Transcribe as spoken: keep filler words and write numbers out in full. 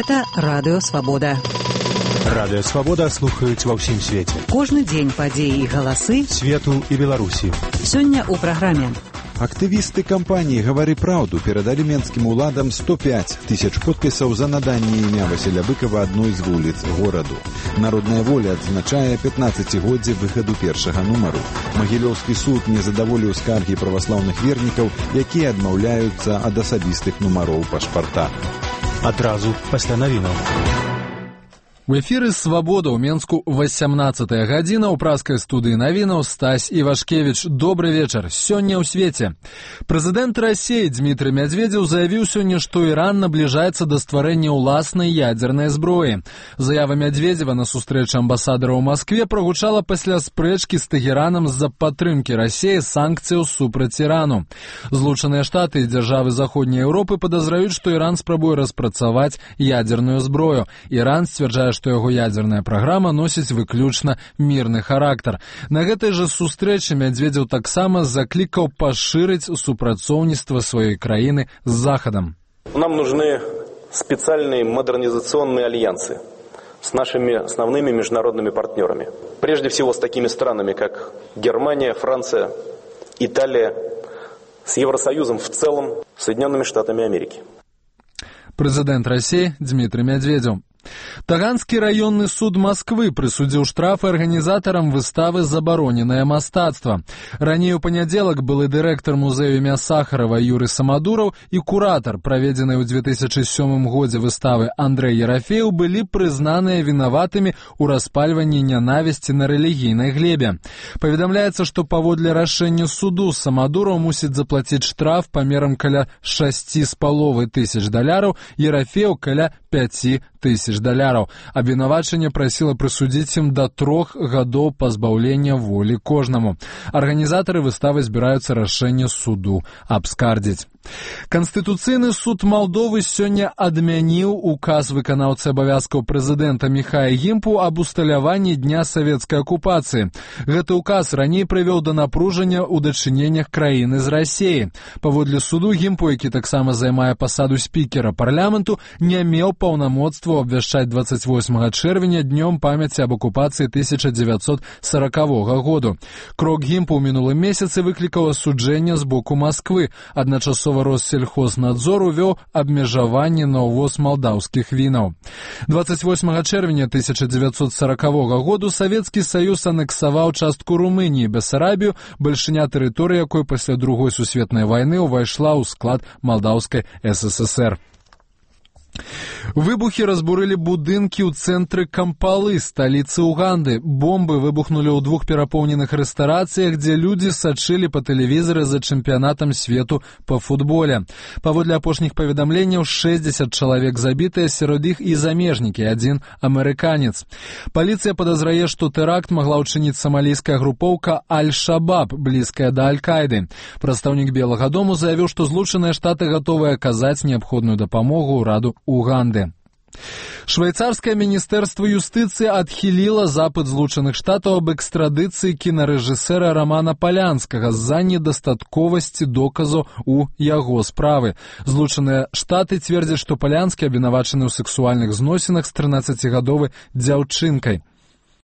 Гэта Радыё Свабода. Радыё Свабода слухаюць ва ўсім свеце. Кожны дзень падзеі і галасы свету і Беларусі. Сёння ў праграме. Актывісты кампаніі «Гавары праўду» перадалі менскім уладам сто пяць тысяч подпісаў за наданне імя Васіля Быкова адной з вуліц гораду. Народная воля адзначае пятнаццацігоддзе выхаду першага нумару. Магілёўскі суд не задаволіў скаргі праваслаўных вернікаў, якія адмаўляюцца ад асабістых нумароў пашпарта. Адразу пасля навінаў. У эфіры «Свабода» ў Менску васямнаццатая гадзіна, ў праскай студыі навінаў Стась Івашкевіч. Добры вечар. Сёння ў свеце. Прэзідэнт Расіі Дмітрый Мядзведзеў заявіў сёння, што Іран набліжаецца да стварэння ўласнай ядзернай зброі. Заява Мядзведзева на сустрэчы амбасадара ў Маскве прагучала пасля спрэчкі з Тэгеранам з-за падтрымкі Расіі санкцыяў супраць Ірану. Злучаныя Штаты і дзяржавы Заходняй Еўропы падазраюць, што Іран спрабуе распрацаваць ядзерную зброю. Іран сцвярджае, што яго ядзерная праграма носіць выключна мірны характар. На гэтай жа сустрэчы Мядзведзеў таксама заклікаў пашырыць супрацоўніцтва сваёй краіны з Захадам. Нам нужны специальные модернизационные альянсы с нашими основными международными партнерами. Прежде всего с такими странами, как Германия, Франция, Италия, с Евросоюзом в целом, Соединенными Штатами Америки. Прэзідэнт Расіі Дмітрый Мядзведзеў. Таганскі раённы суд Масквы прысудзіў штрафы арганізатарам выставы «Забароненае мастацтва». Раней у панядзелак былы дырэктар музею імя Сахарова Юрый Самадураў і куратар, праведзенай у две тысячы сёмым годзе выставы Андрэй Ерафеў, былі прызнаныя вінаватымі ў распальванні нянавісці на рэлігійнай глебе. Паведамляецца, што паводле рашэння суду Самадураў мусіць заплаціць штраф памерам каля шасці з паловай тысяч даляраў, Ерафеў каля пяці тысяч даляраў. Абвінавачанне прасіла прысудзіць ім да трох гадоў пазбаўлення волі кожнаму. Арганізатары выставы збіраюцца рашэнне суду абскардзіць. Канстытуцыйны суд Малдовы сёння адмяніў указ выканаўцы абавязкаў прэзідэнта Міхая Гімпу аб усталяванні дня савецкай акупацыі. Гэты указ раней прывёў да напружання ў дачыненнях краіны з Расіяй. Паводле суду Гімпу, які таксама займае пасаду спікера парламенту, не меў паўнамоцтва абвяшчаць дваццаць восьмага чэрвеня днём памяці аб акупацыі тысяча дзевяцьсот саракавога году. Крок Гімпу ў мінулым месяцы выклікаў асуджэнне з боку Масквы. Адначасова Россельхознадзор увёў абмежаванне на ўвоз малдаўскіх вінаў. дваццаць восьмага чэрвеня тысяча дзевяцьсот саракавога году Савецкі Саюз анексаваў частку Румыніі, Бесарабію, бальшыня тэрыторыі якой пасля другой сусветнай вайны ўвайшла ў склад Малдаўскай СССР. Выбухі разбурылі будынкі ў цэнтры Кампалы, сталіцы Уганды. Бомбы выбухнулі ў двух перапоўненых рэстарацыях, дзе людзі сачылі па тэлевізары за чэмпіянатам свету па футболе. Паводле апошніх паведамленняў, шэсцьдзесят чалавек забітыя, сярод іх і замежнікі, адзін амерыканец. Паліцыя падазрае, што тэракт магла ўчыніць самалійская групоўка Аль-Шабаб, блізкая да Аль-Кайды. Прадстаўнік Белага дому заявіў, што Злучаныя Штаты гатовыя аказаць неабходную дапамогу ўраду Уганды. Швейцарскае міністэрства юстыцыі адхіліла запыт Злучаных Штатаў аб экстрадыцыі кінарэжысэра Рамана Палянскага з-за недастатковасці доказаў у яго справы. Злучаныя Штаты цвердзяць, што Палянскі абвінавачаны ў сексуальных зносінах з трынаццацігадовай дзяўчынкай.